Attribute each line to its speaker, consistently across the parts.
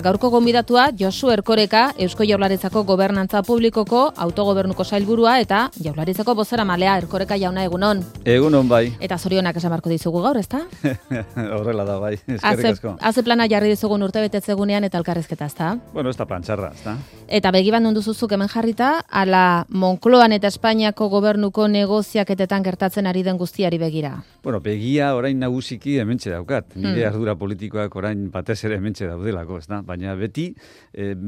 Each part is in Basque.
Speaker 1: gaurko gonbidatua Josu Erkoreka, Eusko Jaurlaritzako Gobernantza Publikoko autogobernuko sailburua eta Jaurlaritzako bozeramalea. Erkoreka jauna, egunon.
Speaker 2: Egunon bai.
Speaker 1: Eta zorionak esan beharko dizugu gaur, ezta?
Speaker 2: Horrela da bai, eskerrik asko.
Speaker 1: Haze plana jarri dizugun urtebetetzegunean eta elkarrizketa, ezta?
Speaker 2: Bueno, ez da plan txarra, ezta?
Speaker 1: Eta begiban duzuzuk hemen jarrita, ala Moncloan eta Espainiako gobernuko negoziaketetan gertatzen ari den guztiari begira.
Speaker 2: Bueno, begia orain nagusiki hementxe daukat. Nire ardura politikoak orain batez ere hementxe daudelako, ezta? Baina beti,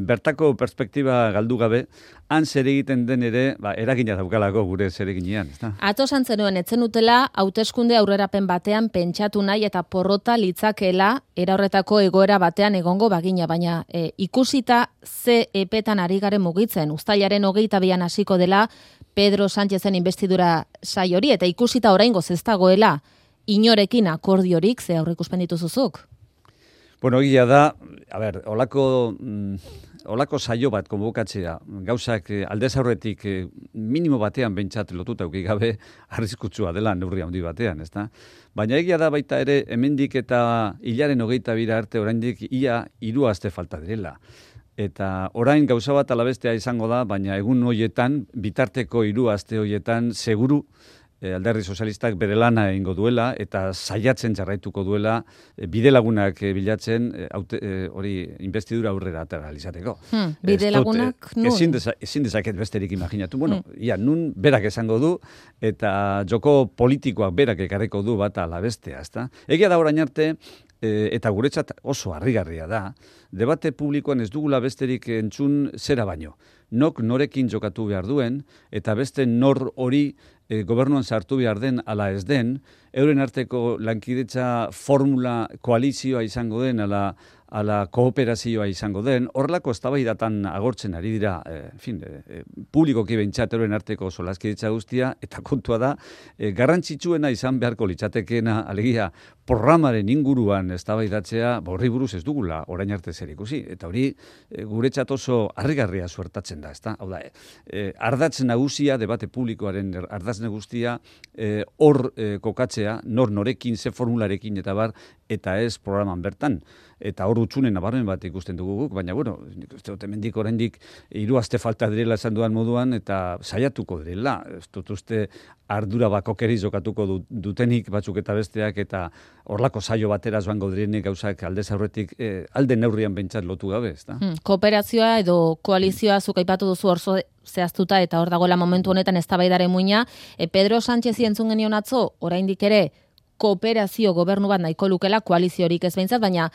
Speaker 2: bertako perspektiba galdu gabe, han zer egiten den ere, eragina daukalako gure zer eginean, ezta?
Speaker 1: Ato zenuen etzen utela, hauteskunde aurrerapen batean pentsatu nahi eta porrota litzakeela era horretako egoera batean egongo bagina, baina ikusita ze epetan ari garen mugitzen, uztailaren 22an hasiko dela Pedro Sánchezen investidura sai hori, eta ikusita oraingoz ez dagoela inorekin akordiorik, ze aurreikuspen dituzuzuk?
Speaker 2: Bueno, egia da, olako saio bat konbokatzea, gauzak aldez aurretik minimo batean behintzat lotuta uki gabe arriskutsua dela neurri handi batean, ezta? Baina egia da baita ere hemendik eta hilaren 22 arte oraindik ia 3 aste falta direla. Eta orain gauza bat alabestea izango da, baina egun horietan, bitarteko 3 aste horietan, seguru Alderdi Sozialistak bere lana egingo duela eta saiatzen jarraituko duela bidelagunak bilatzen hori investidura aurrera atera izateko.
Speaker 1: Bidelagunak nun?
Speaker 2: Ezin dezaket besterik imaginatu. Bueno, nun berak esango du eta joko politikoak berak ekarriko du bat ala bestea, ezta? Egia da orain arte eta guretzat oso harrigarria da, debate publikoan ez dugula besterik entzun zera baino. Nok norekin jokatu behar duen, eta beste nor hori gobernuan sartu behar den ala ez den, euren arteko lankidetza formula koalizioa izango den, ala kooperazioa izango den, horrelako eztabaidatan agortzen ari dira, publikoki behintzat euren arteko solaskidetza guztia, eta kontua da, garrantzitsuena izan beharko litzatekeena, alegia, programaren inguruan eztabaidatzea, horri buruz ez dugula orain arte zer ikusi, eta hori guretzat oso harrigarria suertatzen da, ezta? Hau da, ardatz nagusia, debate publikoaren ardatz nagusia, hor kokatzea, norekin, ze formularekin eta bar, eta ez programan bertan. Eta hor utzunen nabarmen bat ikusten dugu guk, baina bueno, uste dut hemendik oraindik 3 aste falta direla esan duan moduan, eta saiatuko direla. Ez dut uste ardura bakokeriz jokatuko dutenik batzuk eta besteak, eta horlako saio batera joango direnik gauzak aldez aurretik alde neurrian behintzat lotu gabe, ezta?
Speaker 1: Kooperazioa edo koalizioa zuk aipatu duzu orzo zehaztuta, eta hor dagoela momentu honetan eztabaidaren muina. Pedro Sánchez entzun genion atzo, oraindik ere kooperazio gobernu bat nahiko lukela, koaliziorik ez behintzat, baina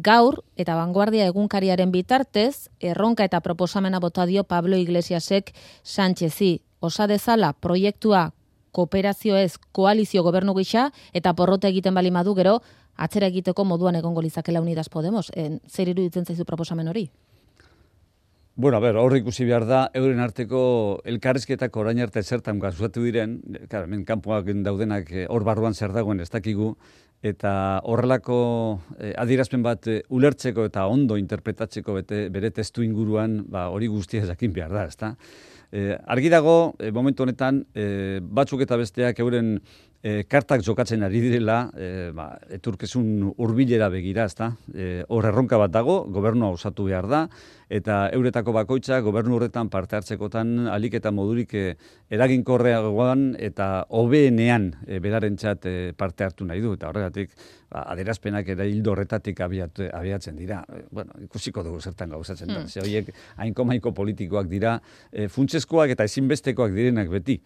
Speaker 1: gaur eta Vanguardia egunkariaren bitartez, erronka eta proposamena bota dio Pablo Iglesiasek Sánchezi. Osa dezala proiektua kooperazio ez koalizio gobernu gisa, eta porrota egiten bali madu gero, atzera egiteko moduan egongo lizakela Unidas Podemos. Zer iruditzen zaizu proposamen hori?
Speaker 2: Bueno, hor ikusi behar da, euren arteko elkarrizketak orain arte zertan gauzatu diren, hemen kanpoak daudenak hor barruan zer dagoen ez dakigu, eta horrelako adierazpen bat ulertzeko eta ondo interpretatzeko bere testu inguruan, hori guztia jakin behar da, ezta? Argi dago, momentu honetan, batzuk eta besteak euren kartak jokatzen ari direla, etorkizun hurbilera begira, ezta? Hor erronka bat dago, gobernua osatu behar da, eta euretako bakoitza gobernu horretan parte hartzekotan alik eta modurik eraginkorreagoan eta hobeenean berarentzat parte hartu nahi du, eta horregatik adierazpenak ere hildo horretatik abiatzen dira. Bueno, ikusiko dugu zertan gauzatzen da. Ze horiek hainko politikoak dira, funtsezkoak eta ezinbestekoak direnak beti.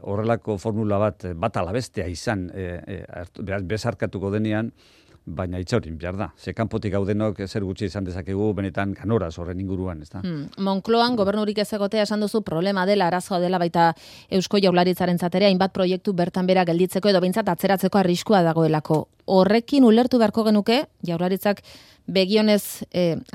Speaker 2: Horrelako formula bat alabestea izan bezarkatuko denean, baina itxaurin behar da. Ze kanpotik gaudenok zer gutxi izan dezakegu benetan ganoraz horren inguruan, ezta?
Speaker 1: Moncloan gobernurik ez egotea esan duzu problema dela, arazoa dela baita Eusko Jaurlaritzaren zatera, hainbat proiektu bertan bera gelditzeko edo behintzat atzeratzeko arriskua dagoelako. Horrekin ulertu beharko genuke, Jaurlaritzak begionez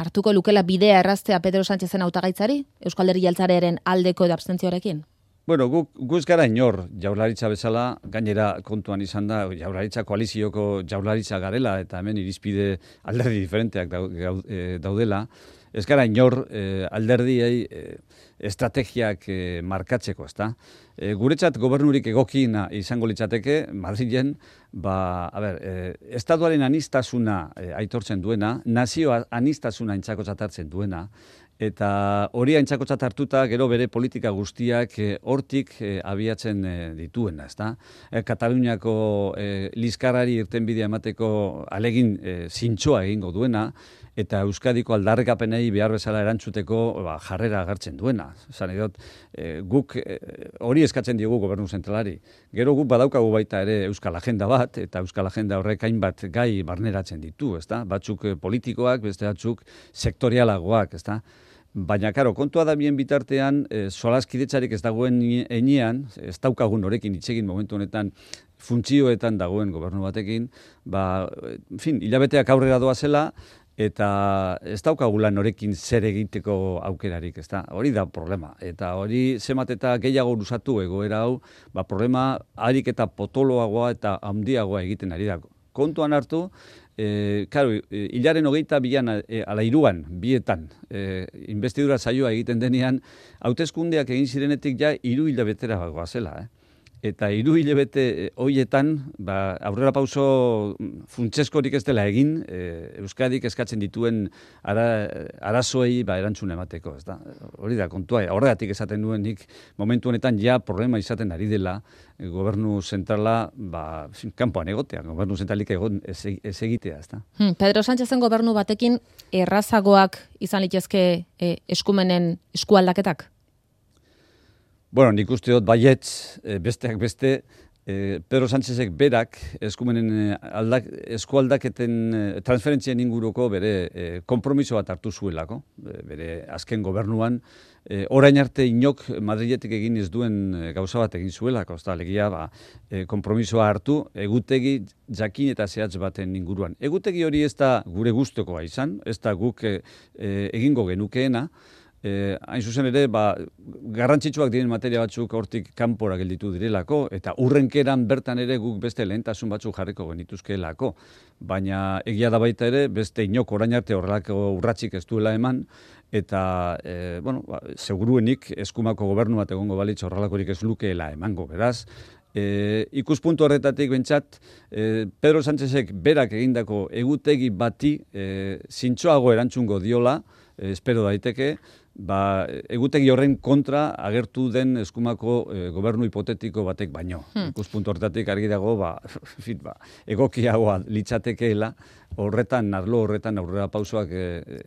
Speaker 1: hartuko lukela bidea erraztea Pedro Sánchezen hautagaitzari, Eusko Alderdi Jeltzalearen aldeko edo abstentzioarekin?
Speaker 2: Bueno, guz gara inor jaurlaritza bezala, gainera kontuan izan da, jaurlaritza koalizioko jaurlaritza garela, eta hemen irizpide alderdi diferenteak daudela, ez gara inor alderdiei estrategiak markatzeko, ezta? Guretzat gobernurik egokina izango litzateke, Madrilen, estatuaren anistasuna aitortzen duena, nazio anistasuna intzakotzat hartzen duena, eta hori aintzatkotzat hartuta gero bere politika guztiak hortik abiatzen dituena, ezta? Kataluniako liskarrari irtenbidea emateko alegin zintzoa egingo duena, eta Euskadiko aldarrikapenei behar bezala erantzuteko jarrera agertzen duena. Esan edot, guk hori eskatzen diogu gobernu zentralari. Gero guk badaukagu baita ere Euskal Agenda bat, eta Euskal Agenda horrek hainbat gai barneratzen ditu, ezta? Batzuk politikoak, beste batzuk sektorialagoak, ezta? Baina, karo, kontua da bien bitartean, solaskidetzarik ez dagoen enean, ez daukagun horekin itxegin momentu honetan, funtzioetan dagoen gobernu batekin, hilabeteak aurrera doazela, eta ez daukagulan horekin zer egiteko aukerarik, ezta? Hori da problema. Eta hori zemat eta gehiago luzatu egoera hau, problema harik eta potoloagoa eta handiagoa egiten ari da. Kontuan hartu, hilaren 22an, ala 3an, bietan, investidura saioa egiten denean, hauteskundeak egin zirenetik 3 hilabetera goazela, Eta 3 hilabete horietan, aurrera pauso funtseskorik ez dela egin, Euskadik eskatzen dituen arazoei erantzun emateko, ez da? Hori da, kontua, horregatik esaten duen nik, momentu honetan problema izaten ari dela, gobernu zentrala, kanpoan egotea, gobernu zentralik ez egitea, ez da?
Speaker 1: Pedro Sánchezen gobernu batekin errazagoak izan litezke eskumenen eskualdaketak?
Speaker 2: Bueno, nik uste dut baietz, besteak beste, Pedro Sánchezek berak eskumenen eskualdaketen transferentzien inguruko bere konpromiso bat hartu zuelako, bere azken gobernuan, orain arte inok Madriletik egin ez duen gauza bat egin zuelako, alegia konpromisoa hartu egutegi jakin eta zehatz baten inguruan. Egutegi hori ez da gure gustukoa izan, ez da guk egingo genukeena, hain zuzen ere, garrantzitsuak diren materia batzuk hortik kanpora gelditu direlako, eta urrenkeran bertan ere guk beste lehentasun batzuk jarriko genituzkeelako. Baina egia da baita ere, beste inok orain arte horrelako urratsik ez duela eman, eta, seguruenik eskumako gobernu bat egongo balitz horrelakorik ez lukeela emango, beraz. Ikuspuntu horretatik bentsat, Pedro Sánchezek berak egindako egutegi bati zintzoago erantzungo diola, espero daiteke, egutegi horren kontra agertu den eskumako gobernu hipotetiko batek baino. Ikuspuntu horretatik argi dago, egokiagoa litzatekeela, arlo horretan aurrera pausoak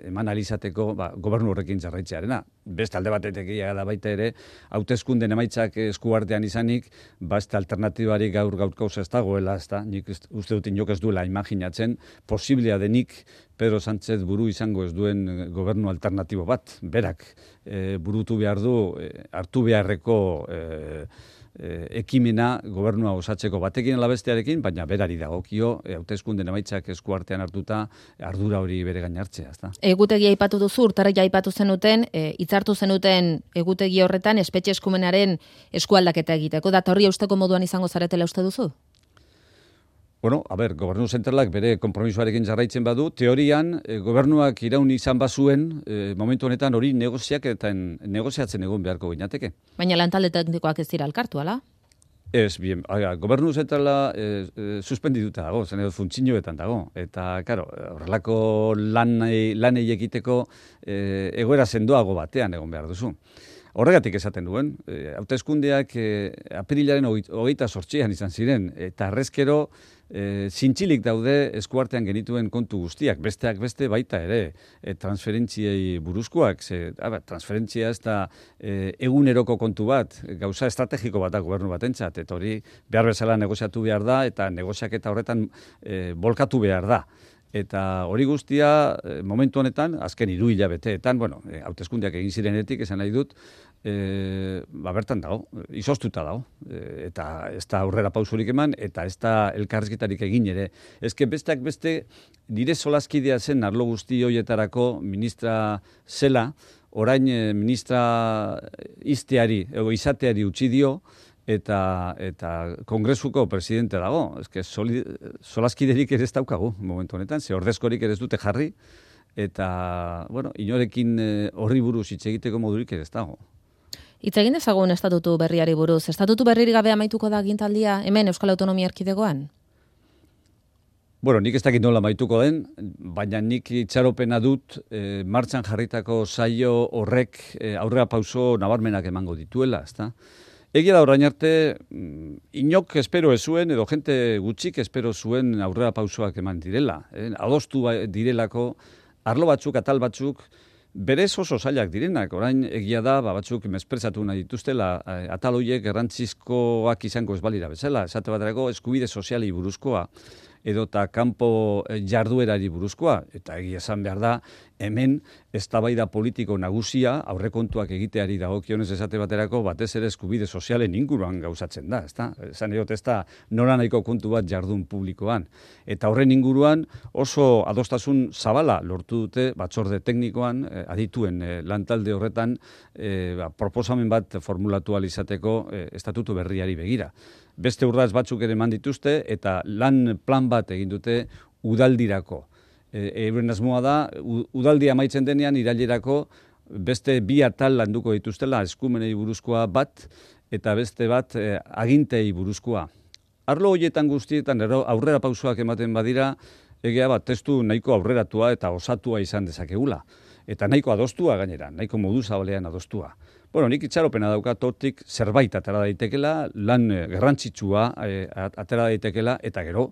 Speaker 2: eman alizateko gobernu horrekin jarraitzearena. Beste alde batetik da baita ere, hauteskunden emaitzak eskuartean izanik, beste alternatibarik gaurko ez dagoela, ez da, nik uste dut inok ez duela imaginatzen, posiblea denik Pedro Sánchez buru izango ez duen gobernu alternatibo bat, berak burutu behar du, hartu beharreko ekimena gobernua osatzeko batekin ala bestearekin, baina berari dagokio hauteskunden emaitzak eskuartean hartuta ardura hori bere gain hartzea, ezta.
Speaker 1: Egutegi aipatu duzu, urtarrila aipatu zenuten, hitzartu zenuten egutegi horretan espetxe eskumenaren eskualdaketa egiteko, data horri eusteko moduan izango zaretela uste duzu?
Speaker 2: Bueno, gobernu zentralak bere konpromisoarekin jarraitzen badu, teorian gobernuak iraun izan bazuen, momentu honetan hori negoziatzen egon beharko ginateke.
Speaker 1: Baina lantalde teknikoak ez dira elkartu, ala?
Speaker 2: Ez, bien, gobernu zentrala suspendituta dago, zen edo funtzioetan dago, eta, karo, horrelako lanei egiteko egoera sendoago batean egon behar duzu. Horregatik esaten duen, hauteskundeak apirilaren 28an izan ziren, eta arrezkero zintzilik daude eskuartean genituen kontu guztiak, besteak beste baita ere, transferentziei buruzkoak, transferentzia ez da eguneroko kontu bat, gauza estrategiko bat da gobernu batentzat, eta hori behar bezala negoziatu behar da, eta negoziaketa horretan bolkatu behar da. Eta hori guztia, momentu honetan, azken 3 hilabeteetan, hauteskundeak egin zirenetik, esan nahi dut, bertan dago, izoztuta dago, eta ez da aurrera pausurik eman, eta ez da elkarrizketarik egin ere. Ezke besteak beste, nire solaskidea zen arlo guzti horietarako ministra zela, orain ministra izateari utzi dio, eta kongresuko presidente dago. Solaskiderik ere ez daukagu momentu honetan, ze ordezkorik ere ez dute jarri, eta, bueno, inorekin horri buruz hitz egiteko modurik ere ez dago.
Speaker 1: Hitz egin dezagun estatutu berriari buruz. Estatutu berririk gabe amaituko da agintaldia hemen Euskal Autonomia Erkidegoan?
Speaker 2: Bueno, nik ez dakit nola amaituko den, baina nik itxaropena dut martxan jarritako saio horrek aurrera pauso nabarmenak emango dituela, ezta? Egia da orain arte, inok espero ez zuen, edo jente gutxik espero zuen aurrera pausoak eman direla. Adostu direlako, arlo batzuk, atal batzuk, berez oso zailak direnak. Orain egia da, batzuk mesprezatu nahi dituztela, atal horiek garrantzizkoak izango ez balira bezala. Esate baterako eskubide soziali buruzkoa, edota kanpo jarduerari buruzkoa, eta egia esan behar da, hemen eztabaida politiko nagusia aurrekontuak egiteari dagokionez esate baterako batez ere eskubide sozialen inguruan gauzatzen da, ezta? Esan edot ez da noranahiko kontu bat jardun publikoan. Eta horren inguruan oso adostasun zabala lortu dute batzorde teknikoan, adituen lantalde horretan proposamen bat formulatu ahal izateko estatutu berriari begira. Beste urrats batzuk ere eman dituzte eta lan plan bat egin dute udaldirako. Euren asmoa da, udaldia amaitzen denean irailerako beste 2 atal landuko dituztela, eskumenei buruzkoa bat eta beste bat agintei buruzkoa. Arlo horietan guztietan aurrera pausoak ematen badira, egia bat testu nahiko aurreratua eta osatua izan dezakegula. Eta nahiko adostua gainera, nahiko modu zabalean adostua. Bueno, nik itxaropena daukat hortik zerbait atera daitekela, lan garrantzitsua atera daitekela, eta gero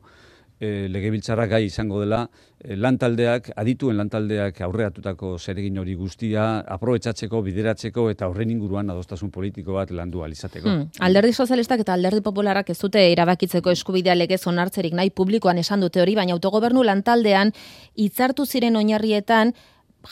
Speaker 2: legebiltzarrak gai izango dela lantaldeak, adituen lantaldeak aurreratutako zeregin hori guztia aprobetxatzeko, bideratzeko eta horren inguruan adostasun politiko bat landu ahal izateko.
Speaker 1: Alderdi sozialistak eta alderdi popularrak ez dute erabakitzeko eskubidea legez onartzerik nahi publikoan esan dute hori, baina autogobernu lantaldean hitzartu ziren oinarrietan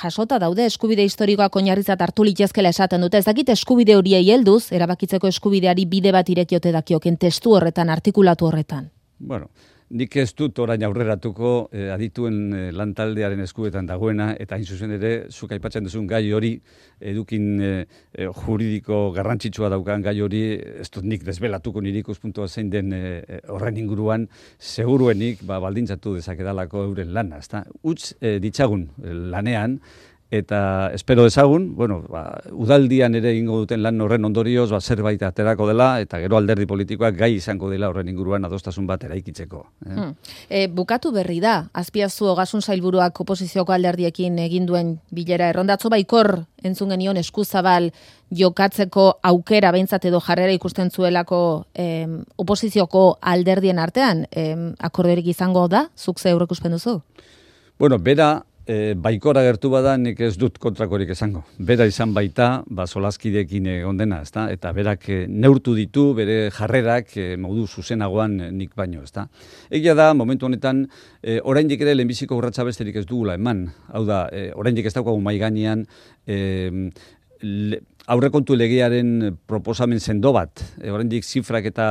Speaker 1: jasota daude eskubide historikoak oinarritzat hartu litezkela esaten dute. Ez dakit eskubide horiei helduz erabakitzeko eskubideari bide bat irekiote dakioken testu horretan, artikulatu horretan.
Speaker 2: Bueno, nik ez dut orain aurreratuko adituen lantaldearen eskubetan dagoena, eta hain zuzen ere, zuk aipatzen duzun gai hori, edukin juridiko garrantzitsua daukan gai hori, ez dut nik desbelatuko nire ikuspuntua zein den horren inguruan, seguruenik baldintzatu dezakedalako euren lana, ezta? Utz ditzagun lanean, eta espero dezagun, bueno, udaldian ere egingo duten lan horren ondorioz zerbait aterako dela, eta gero alderdi politikoak gai izango dela horren inguruan adostasun bat eraikitzeko.
Speaker 1: Bukatu berri da, Azpiazu Ogasun Sailburuak oposizioko alderdiekin egin duen bilera errondatzo baikor entzun genion eskuzabal jokatzeko aukera behintzat edo jarrera ikusten zuelako oposizioko alderdien artean, akordiorik izango da, zuk ze aurreikuspen duzu?
Speaker 2: Bueno, bera baikora gertu bada nik ez dut kontrakorik esango. Bera izan baita, solaskideekin egon dena, ezta? Eta berak neurtu ditu bere jarrerak modu zuzenagoan nik baino, ezta? Egia da, momentu honetan, oraindik ere lehenbiziko urratsa besterik ez dugula eman. Hau da, oraindik ez daukagu mahai gainean aurrekontu legearen proposamen sendo bat. Oraindik zifrak eta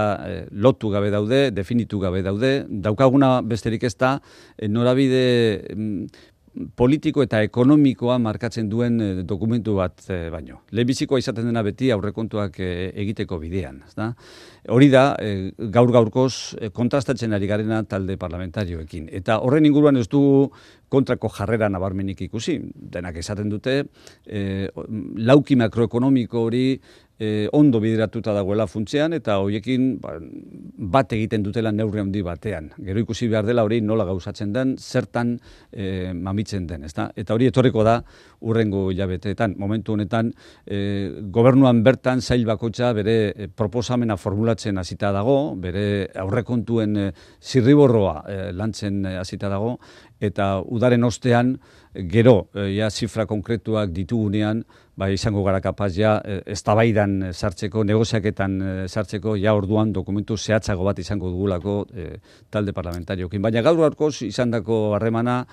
Speaker 2: lotu gabe daude, definitu gabe daude. Daukaguna besterik ez da, norabide politiko eta ekonomikoa markatzen duen dokumentu bat baino. Lehenbizikoa izaten dena beti aurrekontuak egiteko bidean. Hori da, gaur-gaurkoz kontrastatzen ari garena talde parlamentarioekin. Eta horren inguruan ez dugu kontrako jarrera nabarmenik ikusi. Denak esaten dute, lauki makroekonomiko hori ondo bideratuta dagoela funtsean, eta horiekin bat egiten dutela neurri handi batean. Gero ikusi behar dela hori nola gauzatzen den, zertan mamitzen den. Eta hori etorriko da hurrengo hilabeteetan. Momentu honetan, gobernuan bertan sail bakoitza bere proposamena formulatzen hasita dago, bere aurrekontuen zirriborroa lantzen hasita dago, eta udaren ostean, gero, zifra konkretuak ditugunean, izango gara kapaz eztabaidan sartzeko, negoziaketan sartzeko, orduan dokumentu zehatzago bat izango dugulako talde parlamentariokin. Baina gaur-gaurkoz izandako harremana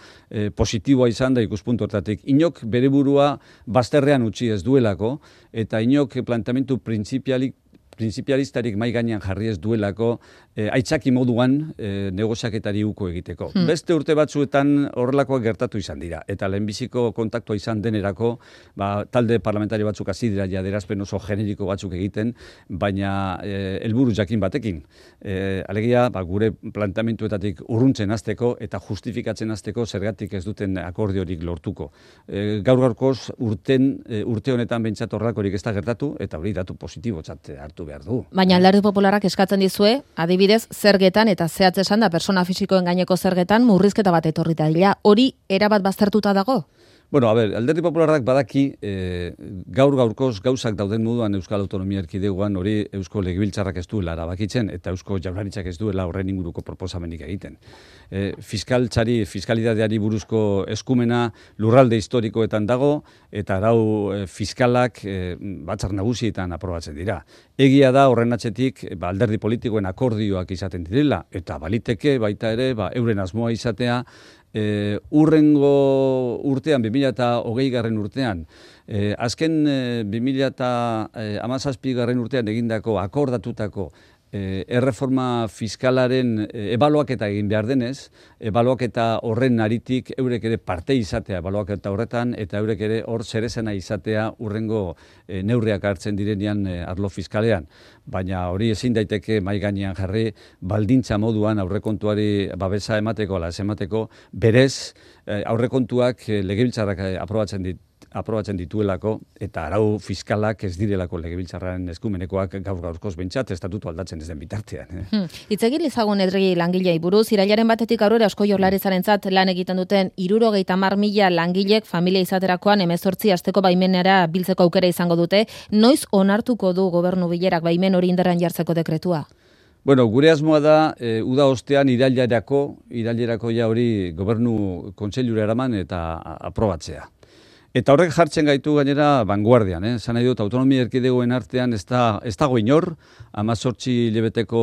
Speaker 2: positiboa izan da ikuspuntu hortatik. Inok bere burua bazterrean utzi ez duelako, eta inok planteamendu printzipalistarik mai gainean jarri ez duelako aitzaki moduan negoziaketari uko egiteko. Beste urte batzuetan horrelakoak gertatu izan dira, eta lehenbiziko kontaktua izan denerako, talde parlamentari batzuk hasi dira adierazpen oso generiko batzuk egiten, baina helburu jakin batekin. Alegia, gure planteamenduetatik urruntzen hasteko eta justifikatzen hasteko zergatik ez duten akordiorik lortuko. Gaur-gaurkoz urte honetan behintzat horrelakorik ez da gertatu, eta hori datu positibotzat hartu behar du.
Speaker 1: Baina Alderdi Popularrak eskatzen dizue, adibidez, zergetan eta zehatz esan da persona fisikoen gaineko zergetan murrizketa bat etorri dira. Hori erabat baztertuta dago?
Speaker 2: Bueno, Alderdi Popularrak badaki gaur-gaurkoz gauzak dauden moduan Euskal Autonomia Erkidegoan hori Eusko Legebiltzarrak ez duela erabakitzen eta Eusko Jaurlaritzak ez duela horren inguruko proposamenik egiten. Fiskalidadeari buruzko eskumena lurralde historikoetan dago eta arau fiskalak batzar nagusietan aprobatzen dira. Egia da horren atzetik alderdi politikoen akordioak izaten direla eta baliteke baita ere euren asmoa izatea urrengo urtean, 2020 urtean, azken 2017 urtean egindako akordatutako erreforma fiskalaren ebaluaketa egin behar denez, ebaluaketa horren aritik eurek ere parte izatea ebaluaketa horretan, eta eurek ere hor zerezena izatea urrengo neurriak hartzen direnean arlo fiskalean. Baina hori ezin daiteke mahai gainean jarri baldintza moduan aurrekontuari babesa emateko, ala ez emateko, berez aurrekontuak legebiltzarrak aprobatzen dituelako eta arau fiskalak ez direlako legebiltzarraren eskumenekoak gaur-gaurkoz behintzat estatutu aldatzen ez den bitartean.
Speaker 1: Hitz egin ezagun edregi langilei buruz, irailaren batetik aurrera Eusko Jaurlaritzarentzat lan egiten duten 70.000 langilek familia izaterakoan 18 asteko baimenera biltzeko aukera izango dute. Noiz onartuko du gobernu bilerak baimen hori indarrean jartzeko dekretua?
Speaker 2: Bueno, gure asmoa da, uda ostean irailerako ja hori gobernu kontseilura eraman eta aprobatzea. Eta horrek jartzen gaitu gainera vanguardian, esan nahi dut, autonomia erkidegoen artean ez dago inor, 18 hilabeteko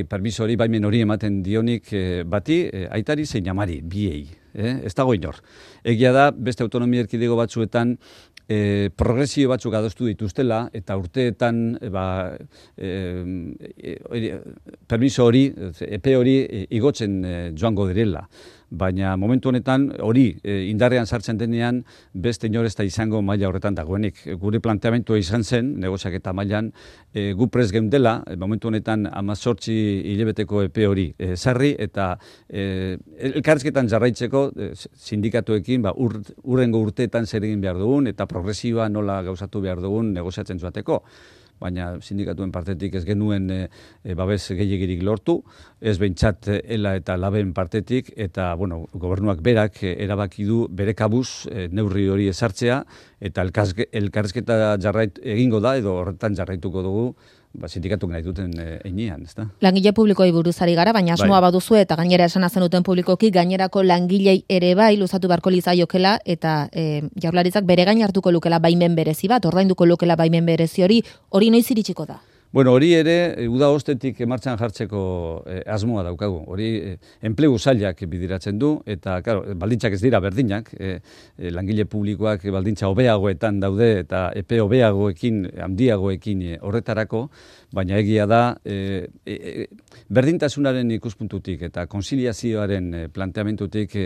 Speaker 2: permiso hori, baimen hori ematen dionik bati, aitari zein amari, biei, ez dago inor. Egia da, beste autonomia erkidego batzuetan, progresio batzuk adostu dituztela, eta urteetan permiso hori, epe hori igotzen joango direla. Baina momentu honetan hori indarrean sartzen denean beste inor ez da izango maila horretan dagoenik. Gure planteamentua izan zen, negoziaketa mailan, gu prest geundela, momentu honetan 18 hilabeteko epe hori sarri eta elkarrizketan jarraitzeko sindikatuekin urrengo urteetan zer egin behar dugun eta progresioa nola gauzatu behar dugun negoziatzen joateko. Baina sindikatuen partetik ez genuen babes gehiegirik lortu, ez behintzat ela eta laben partetik, eta gobernuak berak erabaki du bere kabuz neurri hori ezartzea, eta elkarrizketa egingo da, edo horretan jarraituko dugu, sindikatuk nahi duten einean, ez da?
Speaker 1: Langile publikoei buruzari gara, baina asmoa baduzu eta gainera esan zenuten publikoki, gainerako langilei ere bai luzatu beharko lizaiokela eta Jaurlaritzak bere gain hartuko lukela baimen berezi bat, ordainduko lukela baimen berezi hori noiz iritsiko da?
Speaker 2: Bueno, hori ere, uda ostetik martxan jartzeko asmoa daukagu. Hori enplegu sailak bidiratzen du, eta baldintzak ez dira berdinak, langile publikoak baldintza hobeagoetan daude, eta epe hobeagoekin, handiagoekin horretarako, baina egia da, berdintasunaren ikuspuntutik eta konziliazioaren planteamentutik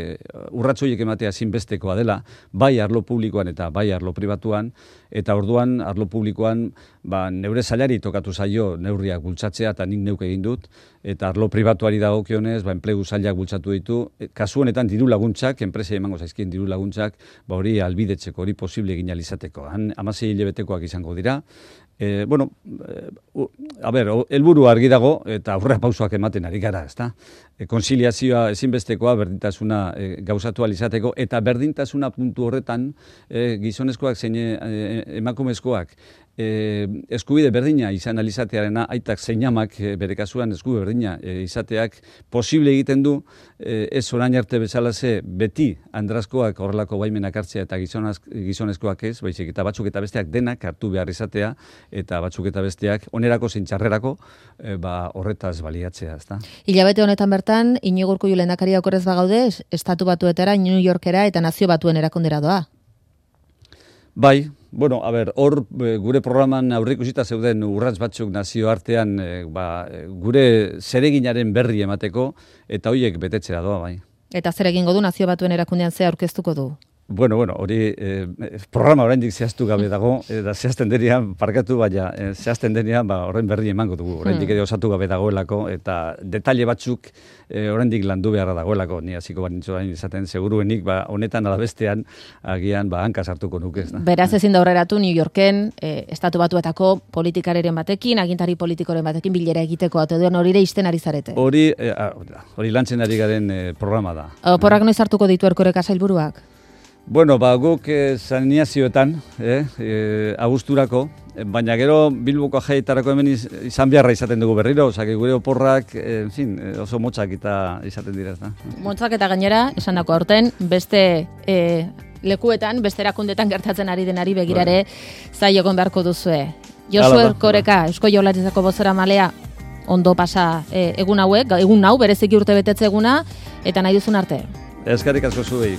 Speaker 2: urratsoiek ematea zinbestekoa dela, bai arlo publikoan eta bai arlo pribatuan, eta orduan arlo publikoan neure sailari tokatu zaio neurriak bultzatzea eta nik neuk egin dut, eta arlo pribatuari dagokionez enplegu sailak bultzatu ditu, kasu honetan diru laguntzak, enpresei emango zaizkien diru laguntzak, hori albidetzeko, hori posible egin ahal izateko. 16 hilabetekoak izango dira. Helburu argi dago eta aurrera pausoak ematen ari gara, ezta? Konziliazioa ezinbestekoa berdintasuna gauzatu ahal izateko eta berdintasuna puntu horretan gizonezkoak zein emakumezkoak eskubide berdina izan alizatearena, aitak zein amak bere kasuan eskubide berdina izateak posible egiten du, ez orain arte bezalaze beti andrazkoak horrelako baimenak hartzea eta gizonezkoak ez, baizik eta batzuk eta besteak denak hartu behar izatea, eta batzuk eta besteak onerako zein txarrerako horretaz baliatzea, ezta?
Speaker 1: Hilabete honetan bertan, Iñigo Urkullu lehendakaria okerrez bagaude, Estatu Batuetara, New Yorkera eta Nazio Batuen erakundera doa.
Speaker 2: Bai, Bueno, hor gure programan aurreikusita zeuden urrats batzuk nazioartean gure zereginaren berri emateko eta horiek betetzera doa bai.
Speaker 1: Eta zer egingo du Nazio Batuen erakundean ze aurkeztuko du?
Speaker 2: Bueno, hori programa oraindik zehaztu gabe dago, eta zehazten denean, parkatu, baina zehazten denean horren berri emango dugu. Oraindik ere osatu gabe dagoelako, eta detaile batzuk oraindik landu beharra dagoelako. Ni hasiko banintzoain izaten seguruenik, honetan alabestean, agian hanka sartuko nuke.
Speaker 1: Beraz ezin da aurreratu New Yorken, Estatu Batuetako politikareren batekin, agintari politikoren batekin bilera egiteko, eta duen hori ere isten ari zarete.
Speaker 2: Hori lantzen ari garen programa da.
Speaker 1: Oporrak noiz hartuko ditu Erkoreka sailburuak?
Speaker 2: Bueno, guk saneazioetan, abuzturako, baina gero Bilboko jaietarako hemen izan beharra izaten dugu berriro, osea, gure oporrak, oso motzak eta izaten dira, ezta.
Speaker 1: Motzak eta gainera, esandako aurten, beste lekuetan, beste erakundetan gertatzen ari denari begirare zailokon beharko duzue. Josu Erkoreka, Eusko Jaurlaritzako bozeramailea, ondo pasa egun hauek, egun hau bereziki urte betetze eguna, eta nahi duzun arte.
Speaker 2: Eskerrik asko zuei.